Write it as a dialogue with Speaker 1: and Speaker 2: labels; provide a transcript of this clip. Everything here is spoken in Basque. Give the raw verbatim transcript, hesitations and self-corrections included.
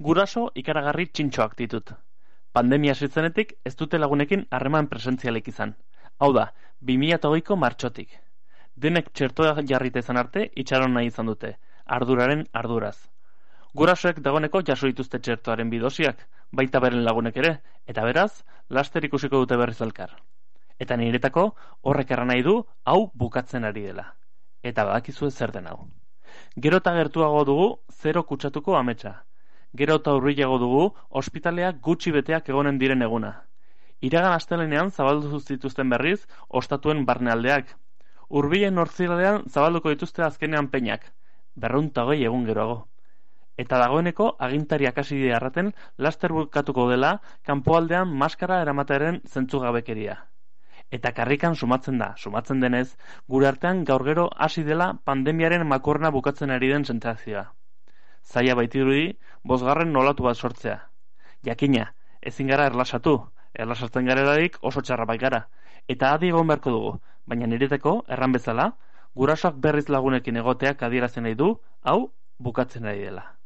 Speaker 1: Guraso ikaragarri txintxoak ditut. Pandemia zitzenetik ez dute lagunekin harreman presentzialik izan. Hau da, bi mila hogeiko martxotik. Denek txertoa jarrita izan arte itxaron nahi izan dute, arduraren arduraz. Gurasoek dagoeneko jaso dituzte txertoaren bidosiak, baita beren lagunek ere, eta beraz, laster ikusiko dute berriz elkar. Eta niretako horrek erran nahi du hau bukatzen ari dela. Eta badakizue zer den hau. Gero eta gertuago dugu zero kutsatuko ametsa. Gero eta hurbilago dugu ospitaleak gutxi beteak egonen diren eguna. Iragan astelenean zabaldu zituzten berriz ostatuen barnealdeak. Hurbilen nortziralean zabalduko dituzte azkenean peinak, berrehun eta hogei egun geroago. Eta dagoeneko agintariak hasi dira erraten laster bukatuko dela kanpoaldean maskara eramatearen zentzugabekeria. Eta karrikan sumatzen da, sumatzen denez, gure artean gaur gero hasi dela pandemiaren makurna bukatzen ari den sentsazioa. Zaila baitirudi, bosgarren nolatu bat sortzea. Jakina, ezin gara erlasatu, erlasatzen garelarik oso txarra bai gara. Eta adi egon beharko dugu, baina nireteko, erran bezala, gurasoak berriz lagunekin egoteak adierazten nahi du, hau bukatzen ari dela.